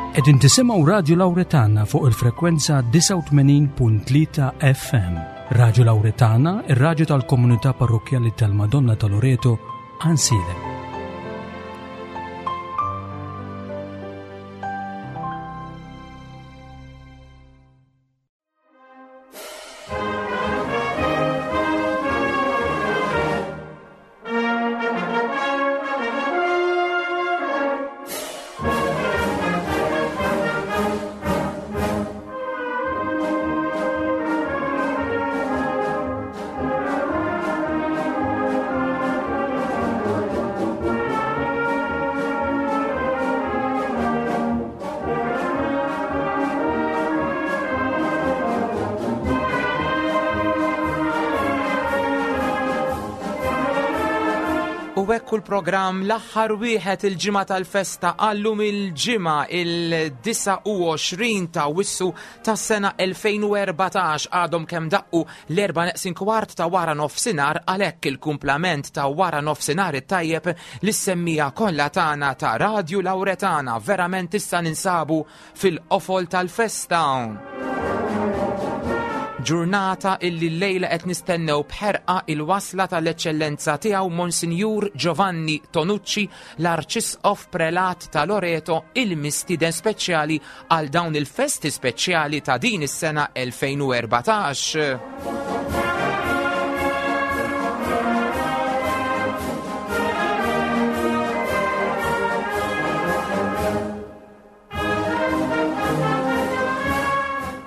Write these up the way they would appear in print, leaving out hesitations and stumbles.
Qegħdin tisimgħu Radju Lawretana fuq il-frekwenza 89.3 FM. Radju Lawretana, ir-radju tal-komunità parrokkjali tal-Madonna ta' Loreto, Ansilem. U hekk l-programm l-aħħar wieħed il-ġimgħa tal-festa għallum il-ġimgħa il-29 ta' Wissu tas-sena 2014 għadhom kemm daqqu l-erba' neqsin kwart ta' wara nofsinhar għalhekk il-kumplament ta' wara nofsinhar it-tajjeb lis-semmija kollha tagħna ta' Radju Lawretana verament issa ninsabu fil-qofol tal-festa. Ġurnata illi llejla qed nistennew b'ħerqa il-wasla tal-Eċċellenza tiegħu Monsinjur Giovanni Tonucci, l-Arċisqof Prelat ta' Loreto, il-mistieden speċjali għal dawn il-festi speċjali ta' din is-sena 2014.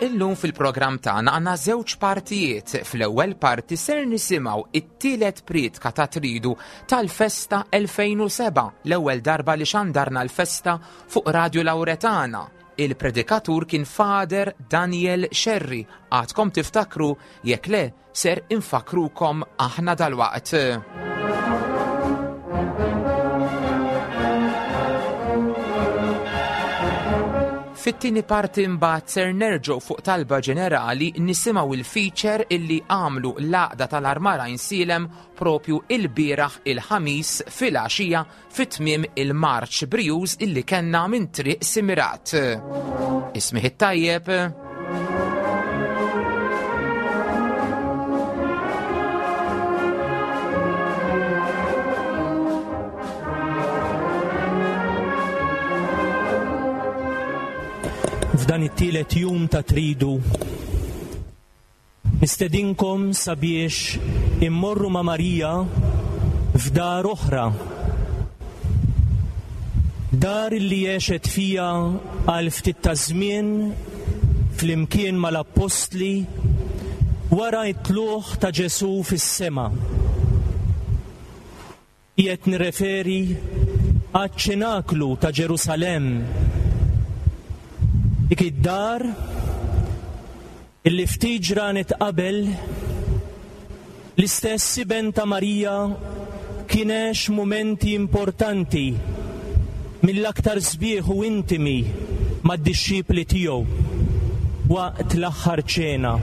Illum fil-programm tagħna għandna żewġ partijiet. Fl-ewwel parti ser nisimgħu it-tielet prietka ta' Tridu tal-festa 2007, l-ewwel darba li xandarna l-festa fuq Radju Lawretana. Il-predikatur kien Fader Daniel Scerri. Għadkom tiftakru jekk le ser infakkrukom aħna dalwaqt. Fit-tieni parti mbagħad ser nerġgħu fuq talba ġenerali nisimgħu il-feature illi għamlu l-għaqda tal-Armara Insilem propju il-bieraħ il-ħamis filgħaxija fi tmiem il-marċ brijuż illi kellna minn Triq Simirat. Ismih it-tajjeb. F'dan it-tielet jum ta' tridu Nistedinkom sabiex immorru ma' Marija f'dar oħra. Dar li għexet fiha għal ftit ta' żmien flimkien mal-appostli wara t-tlugħ ta' Ġesù fis-sema. Qiegħed nirreferi għaċ-ċenaklu ta' Ġerusalemm, dik id-dar illi ftit ġranet qabel l-istess iben ta' Marija kien għex mumenti importanti mill-aktar sbieħ u intimi mad-dixxipli tiegħu waqt l-aħħar ċena.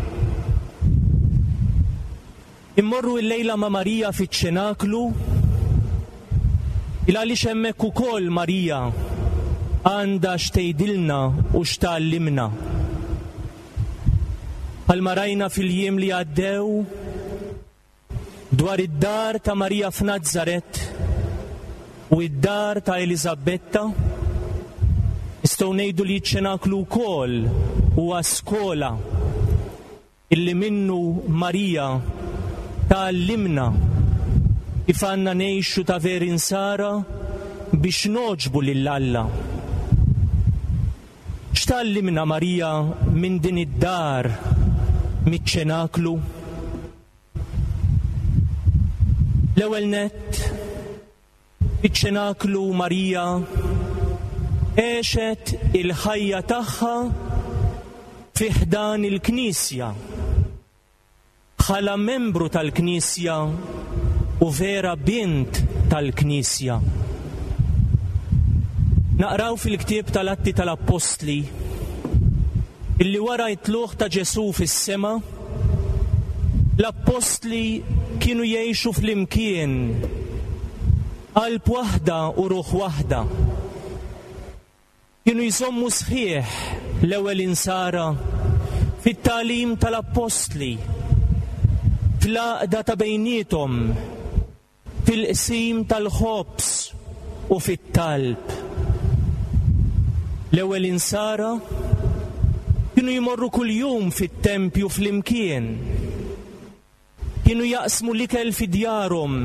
Immorru illejla ma' Marija fiċ-ċenaklu, il għaliex hemmhekk ukoll Marija għandha x'tgħidilna u x'tgħallimna. Bħalma rajna fil-jiem li għaddew dwar id-dar ta' Marija f'Nazaret u id-dar ta' Eliżabetta, nistgħu ngħidu li ċ-ċenaklu wkoll huwa skola Illi minnu Marija tgħallimna kif għandna ngħixu ta' veri Nsara biex nogħġbu lil Alla. X'tgħallimna Marija minn din id-dar miċ-ċenaklu? L-ewwel nett, Fiċ-ċenaklu Marija għexet il-ħajja tagħha fi ħdan il-Knisja, bħala membru tal-Knisja u vera bint tal-Knisja. Naqraw fil-ktieb tal-Atti tal-Appostli illi wara t-tlugħ ta' Ġesù fis-sema, L-appostli kienu jgħixu flimkien, qalb waħda u ruħ waħda. Kienu jżommu sħiħ l-ewwel insara fit-tagħlim tal-appostli, fl-għaqda ta' bejniethom, fil-qsim tal-ħobż u fit-talb. L-ewwel insara kienu jmorru kuljum fit-tempju flimkien. Kienu jaqsmu l-ikel fi djarhom.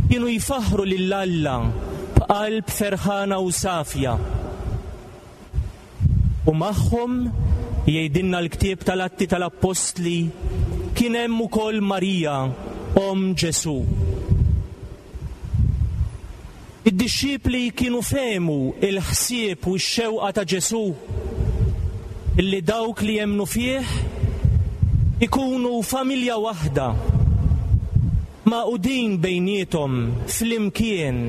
Kienu jfaħħru lil Alla b'qalb ferħana u safja. U magħhom, jgħidilna l-ktieb tal-Atti tal-Appostli, kien hemm ukoll Marija, omm Ġesù. Id-dixxipli kienu fehmu l-ħsieb u x-xewqa ta' Ġesù li dawk li jemmnu fih ikunu familja waħda, magħqudin bejniethom flimkien.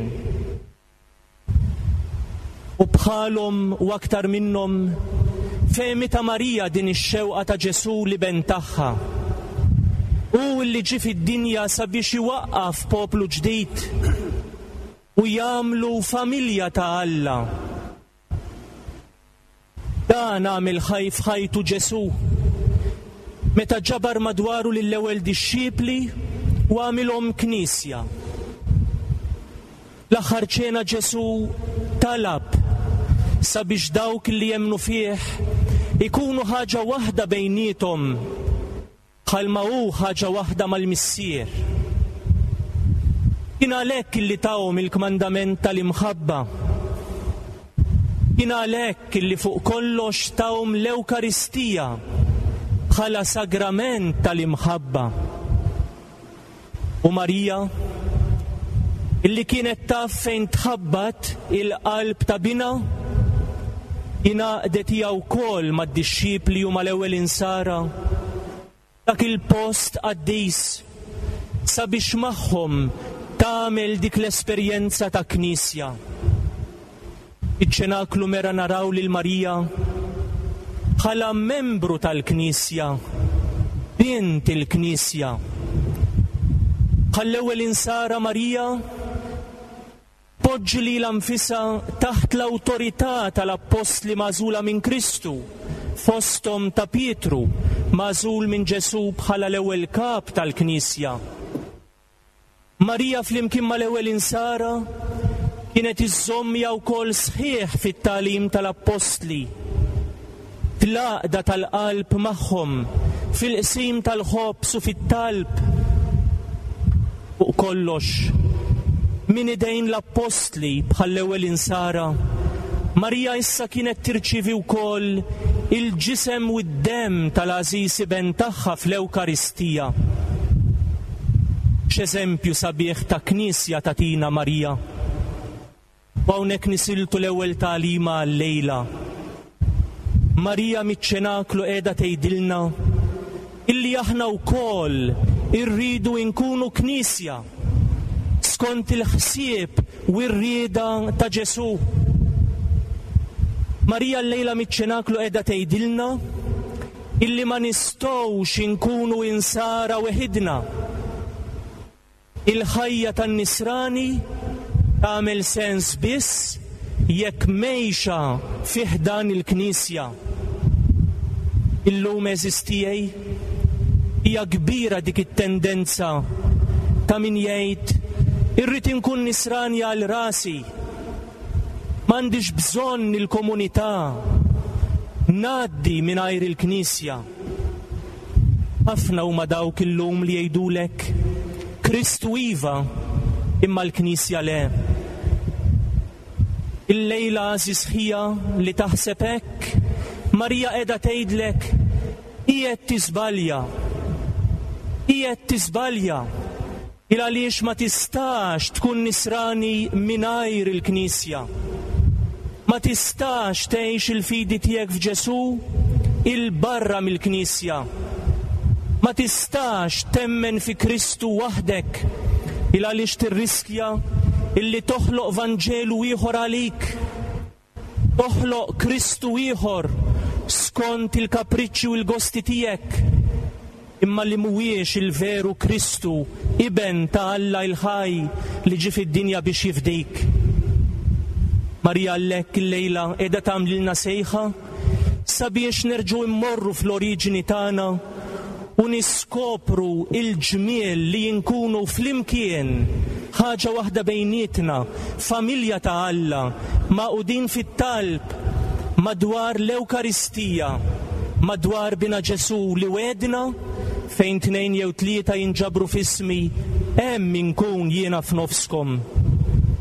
U bħalhom u aktar minnhom, fehmitha Marija din ix-xewqa ta' Ġesù l-Iben tagħha. Hu li ġie fid-dinja sabiex iwaqqaf poplu ġdid u jagħmlu familja ta' Alla. Dan għamel ħaj f'ħajtu Ġesù meta ġabar madwaru lill-ewwel dixxipli u għamilhom knisja. L-aħħar ċena Ġesù talab sabiex dawk li jemmnu fih ikunu ħaġa waħda bejniethom bħalma hu ħaġa waħda mal-Missier. Kien għalhekk illi tahom il-kmandament tal-imħabba. Kien għalhekk illi fuq kollox tahom l-Ewkaristija bħala sagrament tal-imħabba. U Marija, illi kienet taf fejn tħabbat il-qalb ta' binha, ingħaqdet hija wkoll mad-dixxipli u mal-ewwel insara dak il-post qaddis sabiex magħhom tagħmel dik l-esperjenza ta' knisja. Fiċ-ċenaklu mera naraw lil Marija bħala membru tal-Knisja, bint il-Knisja. Bħall-ewwel insara Marija tpoġġi lilha nfisha taħt l-awtorità tal-appostli magħżula minn Kristu, fosthom ta' Pietru, magħżul minn Ġesù bħala l-ewwel kap tal-Knisja. Marija flimkien mal-ewwel insara kienet iżżomm hija wkoll sħiħ fit-tagħlim tal-appostli, fl-għaqda tal-qalb magħhom, fil-qsim tal-ħobż u fit-talb. Fuq kollox, minn idejn l-appostli bħall-ewwel insara, Marija issa kienet tirċievi wkoll il-ġisem u d-demm tal-għażiż Iben tagħha fl-Ewkaristija. X'eżempju sabiħ ta' Knisja tagħtina Marija! U hawnhekk nisiltu l-ewwel tagħlima għal-lejla. Marija miċ-ċenaklu qiegħda tgħidilna illi aħna wkoll irridu nkunu Knisja skont il-ħsieb u r-rieda ta' Ġesù. Marija llejla miċ-ċenaklu qiegħda tgħidilna illi ma nistgħux inkunu insara weħidna. Il-ħajja tan-nisrani tagħmel sens biss jekk mgħejxa fi ħdan il-Knisja. Illum għeżież tiegħi, hija kbira dik it-tendenza ta' min jgħid irrid inkun nisrani għal rasi, m'għandix bżonn il-komunità, ngħaddi mingħajr il-Knisja. Ħafna huma dawk illum li jgħidulek, Kristu iva, imma l-Knisja le. Illejla għażiż ħija li taħseb hekk, Marija qiegħda tgħidlek, qiegħed tiżbalja. Qiegħed tiżbalja. Il għaliex ma tistax tkun nisrani mingħajr il-Knisja. Ma tistax tgħix il-fidi tiegħek f'Ġesù 'il barra mill-Knisja. Ma tistax temmen fi Kristu waħdek il għaliex tirriskja illi toħloq Vanġelu ieħor għalik. Toħloq Kristu ieħor skont il-kapriċċi u l-gosti tiegħek, imma li mhuwiex il-veru Kristu, Iben ta' Alla l-ħaj li ġie fid-dinja biex jifdik. Marija għalhekk illejla qiegħda tagħmlilna sejħa sabiex nerġgħu mmorru fl-oriġini tagħna u niskopru l-ġmiel li nkunu flimkien, ħaġa waħda bejnietna, familja ta' Alla, magħqudin fit-talb madwar l-Ewkaristija, madwar Binha Ġesù li wegħedna, Fejn tnejn jew tlieta jinġabru f'ismi, hemm inkun jiena f'nofskom.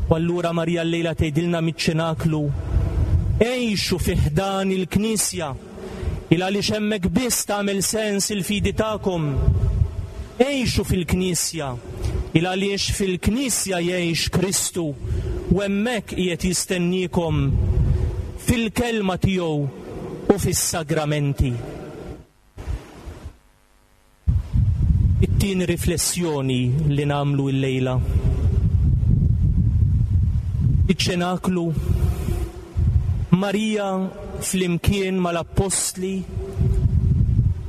U allura Marija llejla tgħidilna miċ-ċenaklu, Għixu fi ħdan il-Knisja, il għaliex hemmhekk biss tagħmel sens il-fidi tagħkom. Għixu fil-Knisja, il għaliex fil-Knisja jgħix Kristu u hemmhekk qiegħed jistenniekom fil-kelma tiegħu u fis-sagramenti. It-tieni riflessjoni li nagħmlu illejla. Iċ-ċenaklu Marija flimkien mal-appostli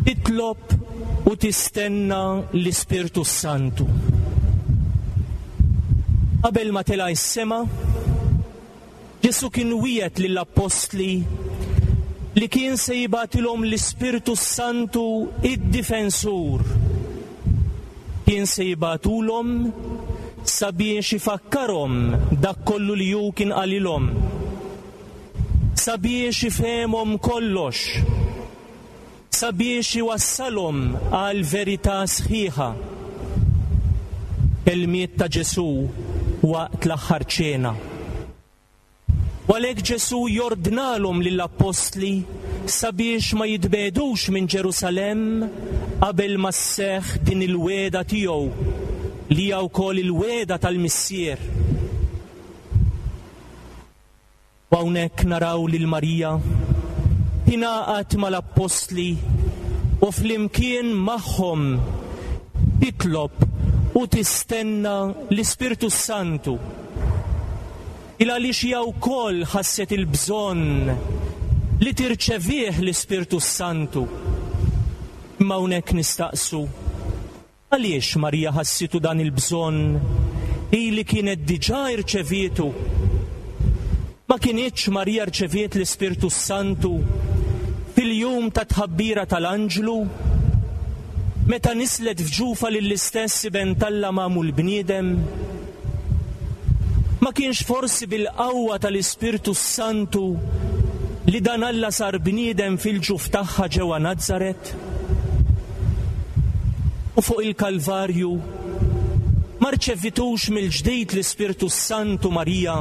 titlob u tistenna l-Ispirtu s-Santu. Qabel ma tela' s-sema, Ġesù kien wiegħed lill-appostli li kien se jibgħatilhom l-Ispirtu s-Santu id-Difensur. Kien se jibgħatulhom sabiex ifakkarhom dak kollu li hu kien qalilhom, sabiex ifehemhom kollox, sabiex iwassalhom għall-verità sħiħa. Kelmiet ta' Ġesù waqt l-Aħħar Ċena. U għalhekk Ġesù jordnalhom lill-appostli sabiex ma jitbiegħdux minn Ġerusalemm qabel ma sseħħ din il-wegħda tiegħu li hija wkoll il-wegħda tal-Missier. U hawnhekk naraw lil Marija tingħaqad mal-appostli u flimkien magħhom titlob u tistenna l-Ispirtu s-Santu. Il għaliex hija wkoll ħasset il-bżonn li tirċevih l-Ispirtu s-Santu. Imma hawnhekk nistaqsu, Għaliex Marija ħassitu dan il-bżonn, hi li kienet diġà irċevietu? Ma kinitx Marija rċeviet l-Ispirtu s-Santu fil-jum tat-tħabbira tal-anġlu, meta nislet f'ġufha lill-istess Iben t'Alla magħmul bniedem? Ma kienx forsi bil-qawwa tal-Ispirtu s-Santu li dan Alla sar bniedem fil-ġuf tagħha ġewwa Nazaret? U fuq il-Kalvarju ma rċevitux mill-ġdid l-Ispirtu s-Santu Marija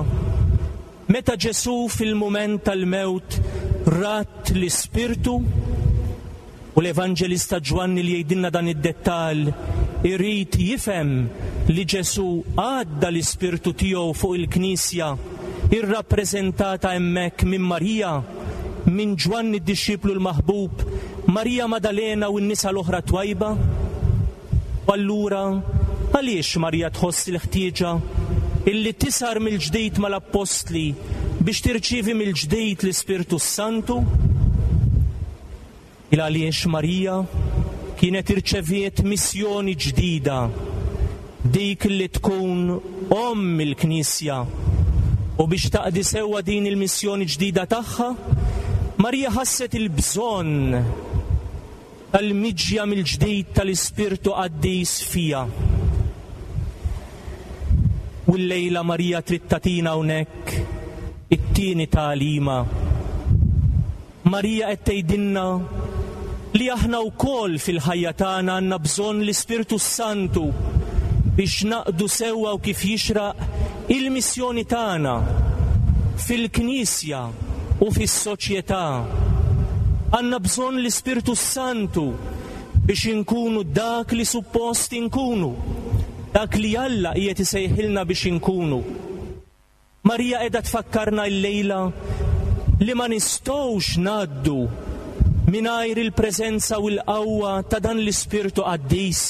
meta Ġesù fil-mument tal-mewt radd l-Ispirtu? U l-Evanġelista Ġwanni li jgħidilna dan id-dettall irid jifhem li Ġesù għadda l-Ispirtu tiegħu fuq il-Knisja irrappreżentata hemmhekk minn Marija, minn Ġwanni d-dixxiplu l-maħbub, Marija Madalena u n-nisa l-oħra twajba? U allura, għaliex Marija tħoss il-ħtieġa illi tisar mill-ġdid mal-appostli biex tirċievi mill-ġdid l-Ispirtu s-Santu? Il għaliex Marija kienet irċeviet missjoni ġdida, dik li tkun Omm il-Knisja. U biex taqdi sewwa din il-missjoni ġdida tagħha, Marija ħasset il-bżonn tal-miġja mill-ġdid tal-Ispirtu Qaddis fiha. U llejla Marija trid tagħtina hawnhekk it-tieni tagħlima. Marija qed tgħidilna li aħna wkoll fil-ħajja tagħna għandna bżonn l-Ispirtu s-Santu biex naqdu sewwa u kif jixraq il-missjoni tagħna fil-Knisja u fis-soċjetà. Għandna bżonn l-Ispirtu s-Santu biex inkunu dak li suppost inkunu, dak li Alla qiegħed isejħilna biex inkunu. Marija qiegħda tfakkarna llejla li ma nistgħux ngħaddu mingħajr il-preżenza u l-qawwa ta' dan l-Ispirtu Qaddis.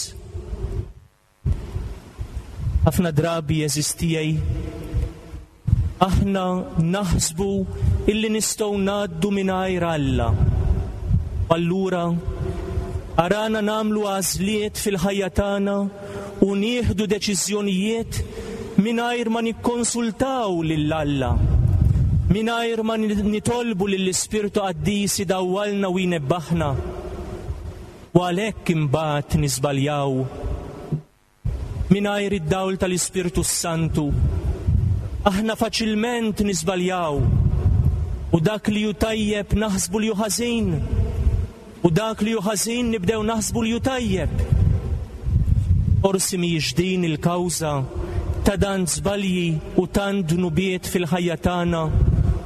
Ħafna drabi għeżież tiegħi, aħna naħsbu illi nistgħu ngħaddu mingħajr Alla. U allura arana nagħmlu għażliet fil-ħajja tagħna u nieħdu deċiżjonijiet mingħajr ma nikkonsultaw lil Alla. mingħajr ma nitolbu lill-Ispirtu Qaddis idawwalna u jnebbaħna. U għalhekk imbagħad niżbaljaw. Mingħajr id-dawl tal-Ispirtu s-Santu, aħna faċilment niżbaljaw u dak li hu tajjeb naħsbu li hu ħażin u dak li hu ħażin nibdew naħsbu li hu tajjeb. Forsi mhijiex din il-kawża ta' dan żbalji u tant dnubiet fil-ħajja tagħna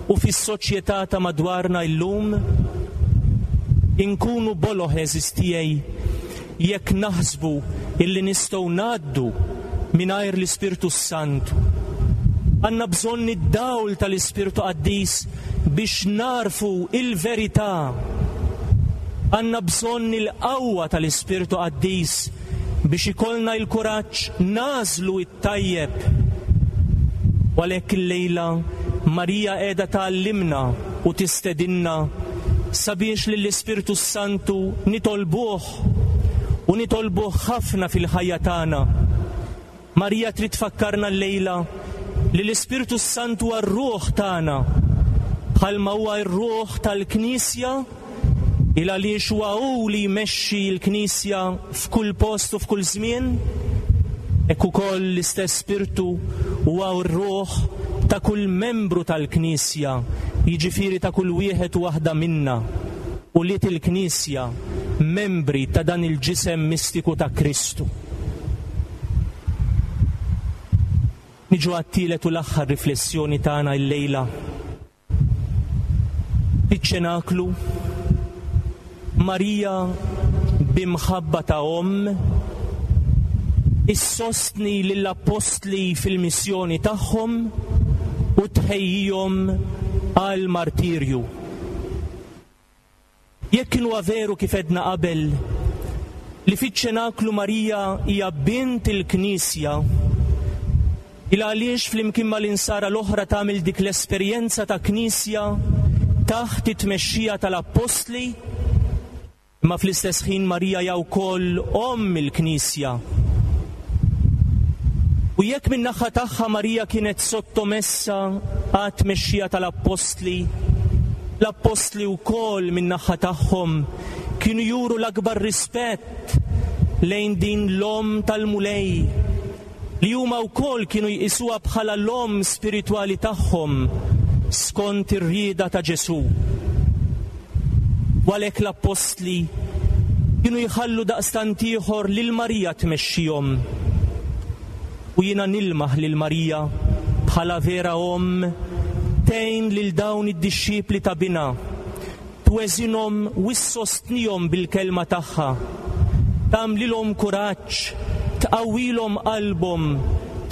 u fis-soċjetà ta' madwarna illum? Inkunu boloh għeżież tiegħi Jekk naħsbu illi nistgħu ngħaddu mingħajr l-Ispirtu s-Santu. Għandna bżonn id-dawl tal-Ispirtu Qaddis biex nagħrfu il-verità. Għandna bżonn il-qawwa tal-Ispirtu Qaddis biex ikollna l-kuraġġ nagħżlu t-tajjeb. U għalhekk illejla Marija qiegħda tgħallimna u tistedinna sabiex lill-Ispirtu s-Santu nitolbuh u nitolbuh ħafna fil-ħajja tagħna. Marija trid tfakkarna llejla li l-Ispirtu s-Santu huwa r-ruħ tagħna, bħalma huwa r-ruħ tal-Knisja il għaliex huwa hu li jmexxi l-Knisja f'kull post u f'kull żmien, hekk ukoll l-istess Spirtu huwa r-ruħ ta' kull membru tal-Knisja, jiġifieri ta' kull wieħed u waħda minna, ulied il-Knisja, membri ta' dan il-ġisem mistiku ta' Kristu. Niġu għat-tielet u l-aħħar riflessjoni tagħna illejla. Fiċ-ċenaklu, Marija bi mħabba ta' omm issostni lill-appostli fil-missjoni tagħhom u tħejjihom għall-martirju. Jekk huwa veru kif għedna qabel li fiċ-ċenaklu Marija hija bint il-Knisja, il għaliex flimkien mal-insara l-oħra tagħmel dik l-esperjenza ta' Knisja taħt it-tmexxija tal-Appostli, imma fl-istess ħin Marija hija wkoll omm il-Knisja. U jekk min-naħa tagħha Marija kienet sottomessa għat-tmexxija tal-Appostli, l-Appostli wkoll min-naħa tagħhom kienu juru l-akbar rispett lejn din l-Omm tal-Mulej, li huma wkoll kienu jqisuha bħala l-omm spiritwali tagħhom skont ir-rieda ta' Ġesù. U għalhekk l-Appostli kienu jħallu daqstant ieħor lil Marija tmexxihom. U jiena nilmaħ lil Marija bħala vera omm tgħin lil dawn id-dixxipli ta' binha, tweżinhom u ssostnihom bil-kelma tagħha, tagħmlilhom kuraġġ, tqawwilhom qalbhom,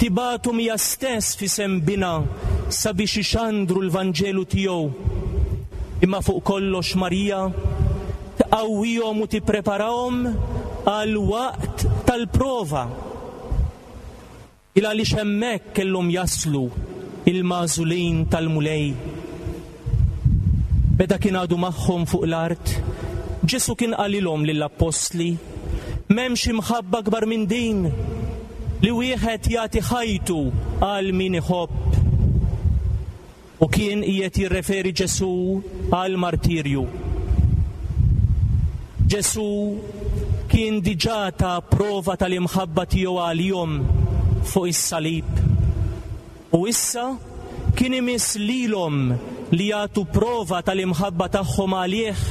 tibgħathom hija stess f'isem binha sabiex ixandru l-Vanġelu tiegħu. Imma fuq kollox Marija tqawwihom u tippreparahom għall-waqt tal-prova. Il għaliex hemmhekk kellhom jaslu il-magħżulin tal-Mulej. Meta kien għadu magħhom fuq l-art, Ġesù kien qalilhom lill-appostli, M'hemmx imħabba akbar minn din, li wieħed jagħti ħajtu għal min iħobb. U kien qiegħed jirreferi Ġesù għall-martirju. Ġesù kien diġà ta prova tal-imħabba tiegħu għalihom fuq is-salib. U issa kien imiss lilhom li jagħtu prova tal-imħabba tagħhom għalih.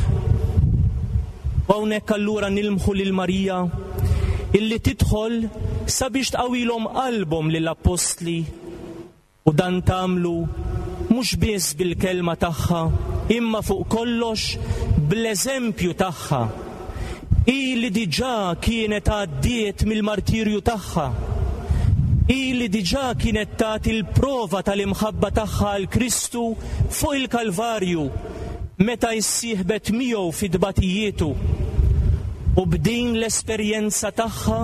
U hawnhekk allura nilmħu lil Marija illi tidħol sabiex tqawwilhom qalbhom lill-appostli. U dan tagħmlu mhux biss bil-kelma tagħha, imma fuq kollox bl-eżempju tagħha. Hi li diġà kienet għaddiet mill-martirju tagħha. Hi li diġà kienet tat il-prova tal-imħabba tagħha għal Kristu fuq il-Kalvarju meta issieħbet miegħu fi tbatijietu. U b'din l-esperjenza tagħha,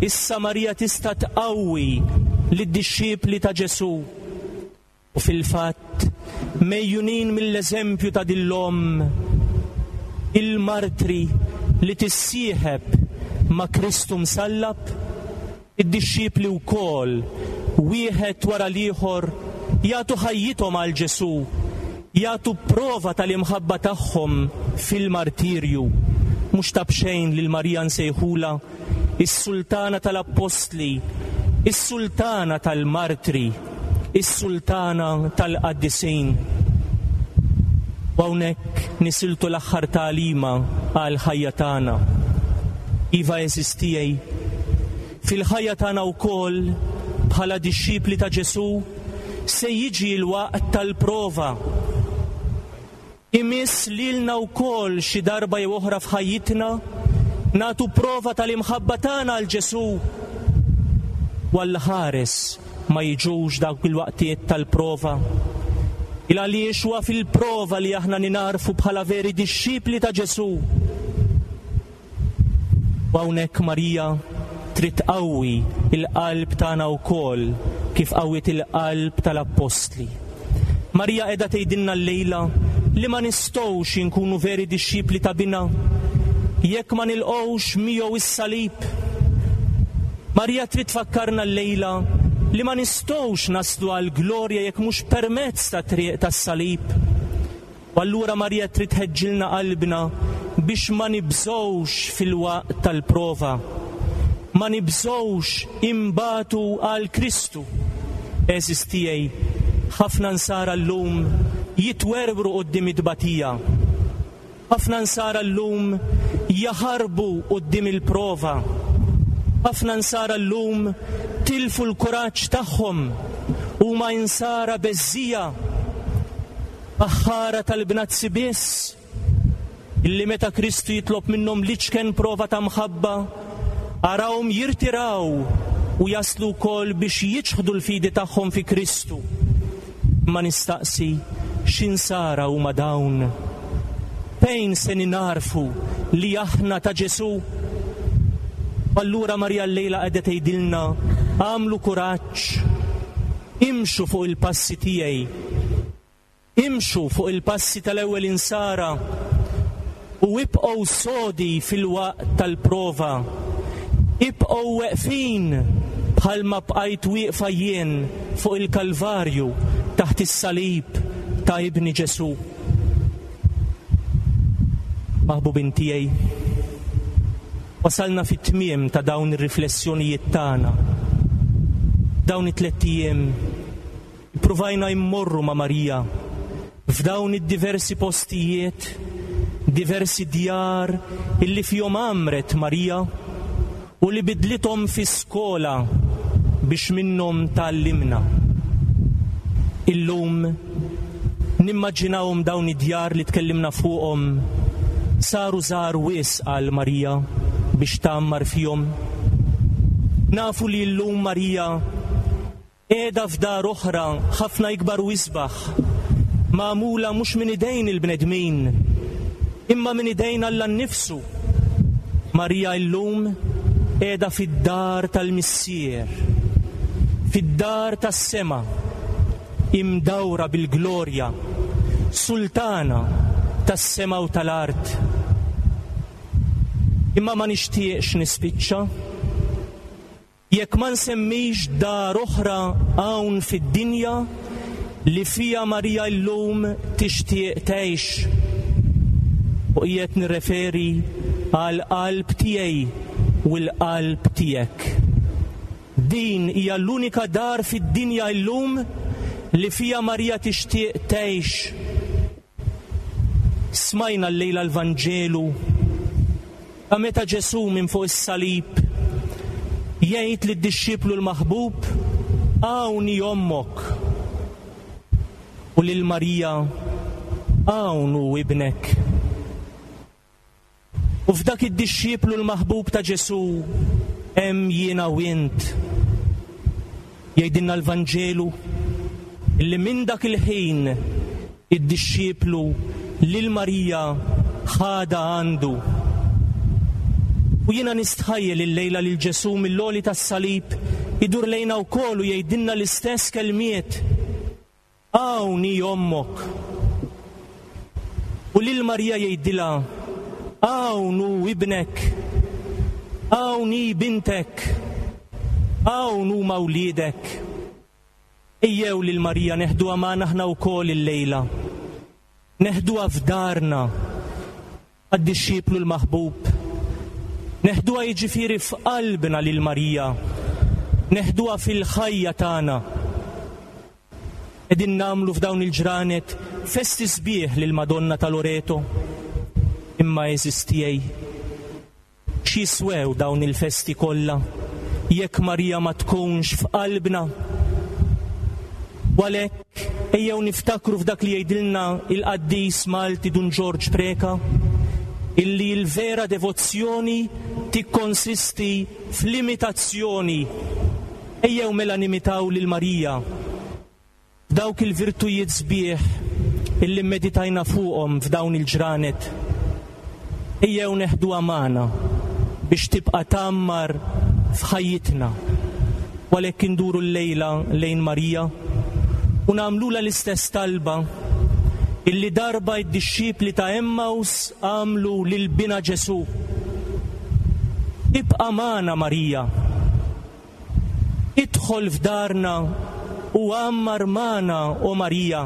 issa Marija tista' tqawwi lid-dixxipli ta' Ġesù. U fil-fatt, megħjunin mill-eżempju ta' din l-omm, il-martri li tissieħeb ma' Kristu msallab, id-dixxipli wkoll, wieħed wara l-ieħor, jagħtu ħajjithom għal Ġesù, jagħtu prova tal-imħabba tagħhom fil-martirju. Mhux ta' b'xejn lil Marija nsejħulha is-Sultana tal-Appostli, is-Sultana tal-Martri, is-Sultana tal-Qaddisin. U hawnhekk nisiltu l-aħħar tagħlima għall-ħajja tagħna. Iva għeżież tiegħi, fil-ħajja tagħna wkoll bħala dixxipli ta' Ġesù se jiġi l-waqt tal-prova. Imiss lilna wkoll xi darba jew oħra f'ħajjitna nagħtu prova tal-imħabba tagħna għal Ġesù. U Alla ħares ma jiġux dawk il-waqtiet tal-prova. Il għaliex huwa fil-prova li aħna ningħarfu bħala veri dixxipli ta' Ġesù. U hawnhekk Marija trid tqawwi l-qalb tagħna wkoll kif qawwiet il-qalb tal-appostli. Marija qiegħda tgħidilna llejla li ma nistgħux inkunu veri dixxipli ta' Binha jekk ma nilqgħux miegħu s-salib. Marija trid tfakkarna llejla li ma nistgħux naslu għall-glorja jekk mhux permezz tat-triq tas-salib. U allura Marija trid tħeġġilna qalbna biex ma nibżgħux fil-waqt tal-prova. Ma nibżgħux inbatu għal Kristu. Għeżież tiegħi, ħafna Nsara llum jitwerwru quddiem it-tbatija. Ħafna Nsara llum jaħarbu quddiem il-prova. Ħafna Nsara llum tilfu l-kuraġġ tagħhom. Huma Insara beżżija. Baħħara tal-bnazzi biss, illi meta Kristu jitlob minnhom l-iċken prova ta' mħabba, arahom jirtiraw u jaslu wkoll biex jiċħdu l-fidi tagħhom fi Kristu. Imma nistaqsi, x'insara huma dawn? Fejn se ningħarfu li aħna ta' Ġesù? U allura Marija llejla qiegħda tgħidilna, agħmlu kuraġġ, Imxu fuq il-passi tiegħi. Imxu fuq il-passi tal-ewwel insara u ibqgħu sodi fil-waqt tal-prova. Ibqgħu weqfin bħalma bqajt wieqfa jien fuq il-Kalvarju taħt is-salib ta' Ibni Ġesù. Maħbubin tiegħi, wasalna fit-tmiem ta' dawn ir-riflessjonijiet tagħna. Dawn it-tlett ijiem ippruvajna immorru ma' Marija f'dawn id-diversi postijiet, diversi djar illi fihom għammret Marija u li bidlithom fi skola biex minnhom tgħallimna. Illum nimmaġinahom dawn id-djar li tkellimna fuqhom saru żgħar wisq għal Marija biex tgħammar fihom. Nafu li llum Marija Qiegħda f'dar oħra ħafna ikbar u isbaħ, magħmula mhux minn idejn il-bnedmin, imma minn idejn Alla nnifsu. Marija illum qiegħda fid-dar tal-Missier, fid-dar tas-sema, imdawra bil-glorja, sultana tas-sema u tal-art. Imma ma nixtieqx nispiċċa. Jekk ma nsemmix dar oħra hawn fid-dinja li fiha Marija llum tixtieq tgħix. U qiegħed nirreferi għall-qalb tiegħi u l-qalb tiegħek. Din hija l-unika dar fid-dinja llum li fiha Marija tixtieq tgħix. Smajna llejla l-Vanġelu ta' meta Ġesù minn fuq is-salib jgħid lid-dixxiplu l-maħbub, Hawn hi ommok. U lil Marija, Hawn hu ibnek. U f'dak id-dixxiplu l-maħbub ta' Ġesù hemm jiena u int. Jgħidilna l-Vanġelu li minn dak il-ħin id-dixxiplu lil Marija ħadha għandu. U jiena nistħajjel illejla lil Ġesù mill-għoli tas-salib idur lejna wkoll u jgħidilna l-istess kelmiet. Hawn hi ommok. U lil Marija jgħidilha, Hawn hu ibnek. Hawn hi bintek. Hawn huma wliedek. Ejjew lil Marija neħduha magħna aħna wkoll illejla. Neħduha f'darna għad-dixxiplu l-maħbub. Neħduha jiġifieri f'qalbna lil Marija. Neħduha fil-ħajja tagħna. Qegħdin nagħmlu f'dawn il-ġranet festi sbieħ lill-Madonna ta' Loreto. Imma għeżież tiegħi, x'jiswew dawn il-festi kollha jekk Marija ma tkunx f'qalbna? U għalhekk ejjew niftakru f'dak li jgħidilna il-qaddis Malti Dun Ġorġ Preca, illi l-vera devozzjoni tikkonsisti fl-imitazzjoni. Ejjew mela nimitaw lil Marija f'dawk il-virtujiet sbieħ illi mmeditajna fuqhom f'dawn il-ġranet. Ejjew neħduha magħna biex tibqa' tgħammar f'ħajjitna. U għalhekk induru llejla lejn Marija u nagħmlulha l-istess talba illi darba d-dixxipli ta' Emmaus għamlu lil Binha Ġesù. Ibqa' magħna Marija. Idħol f'darna u għammar magħna, o Marija.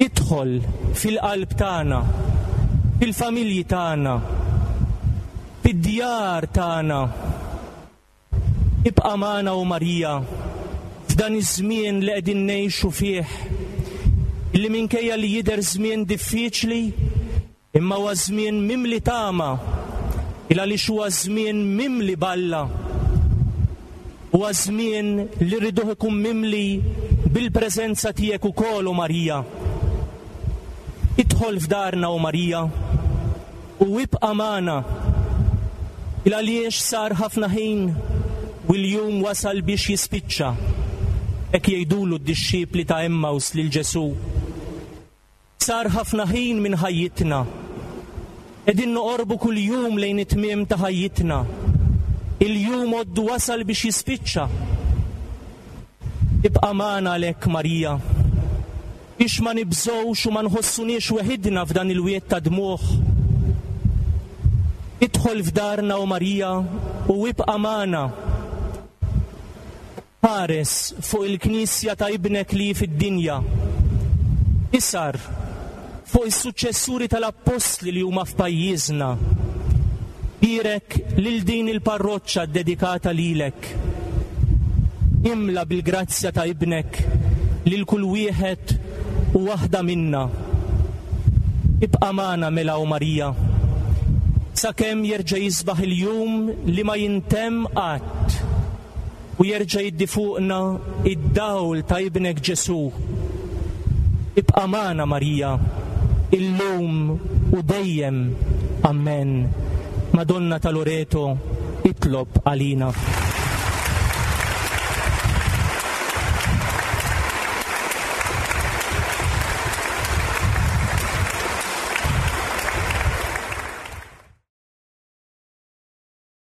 Idħol fil-qalb tagħna, fil-familji tagħna, fid-djar tagħna. Ibqa' magħna, o Marija, f'dan iż-żmien li qegħdin ngħixu fih, illi minkejja li jidher żmien diffiċli, Imma huwa żmien mimli tama, il għaliex huwa żmien mimli b'Alla. Huwa żmien li rriduh ikun mimli bil-preżenza tiegħek ukoll, o Marija. Idħol f'darna, o Marija, u ibqa' magħna, il għaliex sar ħafna ħin u l-jum wasal biex jispiċċa. Hekk jgħidulu d-dixxipli ta' Emmaus lil Ġesù. Sar ħafna ħin minn ħajjitna. Qegħdin noqorbu kuljum lejn it-tmiem ta' ħajjitna. Il-jum għoddu wasal biex jispiċċa. Ibqa' magħna għalhekk Marija, biex ma nibżgħux u ma nħossuniex weħidna f'dan il-wied ta' dmugħ. Idħol f'darna o Marija u ibqa' magħna. Ħares fuq il-Knisja ta' Ibnek li hi fid-dinja. Isar fuq is-suċċessuri tal-Appostli li huma f'pajjiżna. Bierek lil din il-parroċċa ddedikata lilek. Imla bil-grazzja ta' Ibnek lil kull wieħed u waħda minna. Ibqa' magħna mela o Marija, sakemm jerġa' jisbaħ il-jum li ma jintemm qatt. U jerġa' jiddi fuqna d-dawl ta' Ibnek Ġesù. Ibqa' magħna Marija, illum u dejjem. Ammen. Madonna ta' Loreto, itlob għalina.